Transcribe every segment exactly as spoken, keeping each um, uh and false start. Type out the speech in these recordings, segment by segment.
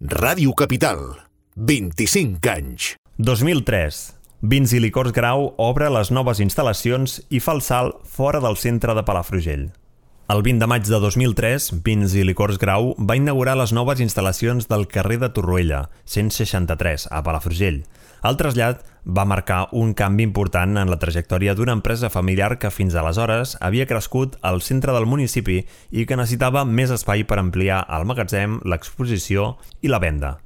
Ràdio Capital, vint-i-cinc anys. dos mil tres. Vins i Licors Grau obre les noves instal·lacions i fa el salt fora del centre de Palafrugell. El vint de maig de dos mil tres, Vins i Licors Grau va inaugurar les noves instal·lacions del carrer de Torroella, cent seixanta-tres, a Palafrugell. El trasllat va marcar un canvi important en la trajectòria d'una empresa familiar que fins aleshores havia crescut al centre del municipi i que necessitava més espai per ampliar el magatzem, l'exposició i la venda.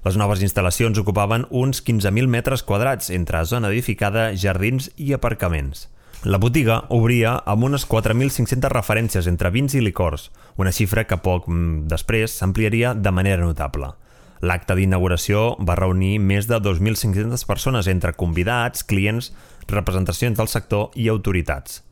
Les noves instal·lacions ocupaven uns quinze mil metres quadrats entre zona edificada, jardins i aparcaments. La botiga obria amb unes quatre mil cinc-centes referències entre vins i licors, una xifra que poc després s'ampliaria de manera notable. L'acte d'inauguració va reunir més de dos mil cinc-centes persones entre convidats, clients, representacions del sector i autoritats.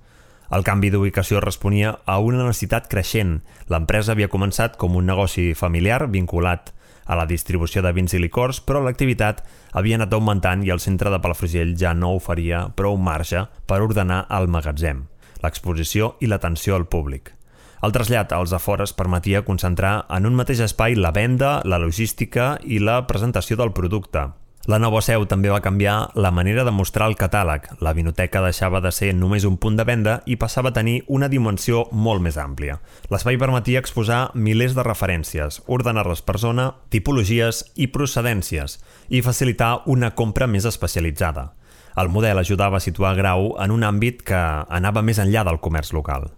El canvi d'ubicació responia a una necessitat creixent. L'empresa havia començat com un negoci familiar vinculat a la distribució de vins i licors, però l'activitat havia anat augmentant i el centre de Palafrugell ja no oferia prou marge per ordenar el magatzem, l'exposició i l'atenció al públic. El trasllat als afores permetia concentrar en un mateix espai la venda, la logística i la presentació del producte. La nova seu també va canviar la manera de mostrar el catàleg. La vinoteca deixava de ser només un punt de venda i passava a tenir una dimensió molt més àmplia. L'espai permetia exposar milers de referències, ordenar-les per zona, tipologies i procedències i facilitar una compra més especialitzada. El model ajudava a situar Grau en un àmbit que anava més enllà del comerç local.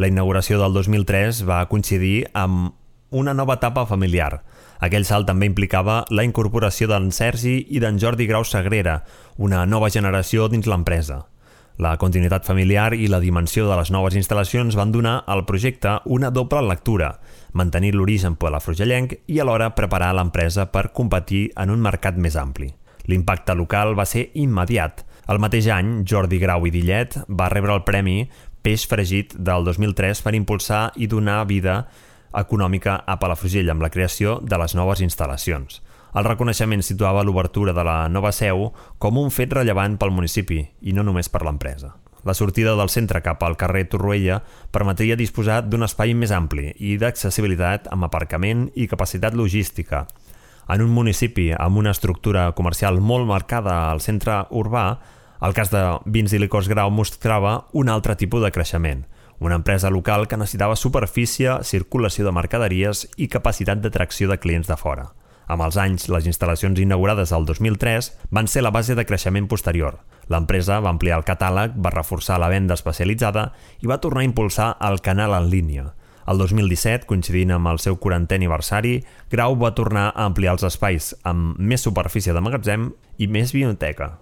La inauguració del dos mil tres va coincidir amb una nova etapa familiar. Aquell salt també implicava la incorporació d'en Sergi i d'en Jordi Grau Sagrera, una nova generació dins l'empresa. La continuïtat familiar i la dimensió de les noves instal·lacions van donar al projecte una doble lectura, mantenir l'origen palafrugellenc i alhora preparar l'empresa per competir en un mercat més ampli. L'impacte local va ser immediat. El mateix any, Jordi Grau i Dillet va rebre el premi Peix Fregit del dos mil tres per impulsar i donar vida econòmica a Palafrugell amb la creació de les noves instal·lacions. El reconeixement situava l'obertura de la nova seu com un fet rellevant pel municipi i no només per l'empresa. La sortida del centre cap al carrer Torroella permetria disposar d'un espai més ampli i d'accessibilitat amb aparcament i capacitat logística. En un municipi amb una estructura comercial molt marcada al centre urbà, el cas de Vins i Licors Grau mostrava un altre tipus de creixement, una empresa local que necessitava superfície, circulació de mercaderies i capacitat d'atracció de clients de fora. Amb els anys, les instal·lacions inaugurades el dos mil tres van ser la base de creixement posterior. L'empresa va ampliar el catàleg, va reforçar la venda especialitzada i va tornar a impulsar el canal en línia. El dos mil disset, coincidint amb el seu quarantè aniversari, Grau va tornar a ampliar els espais amb més superfície de magatzem i més vinoteca.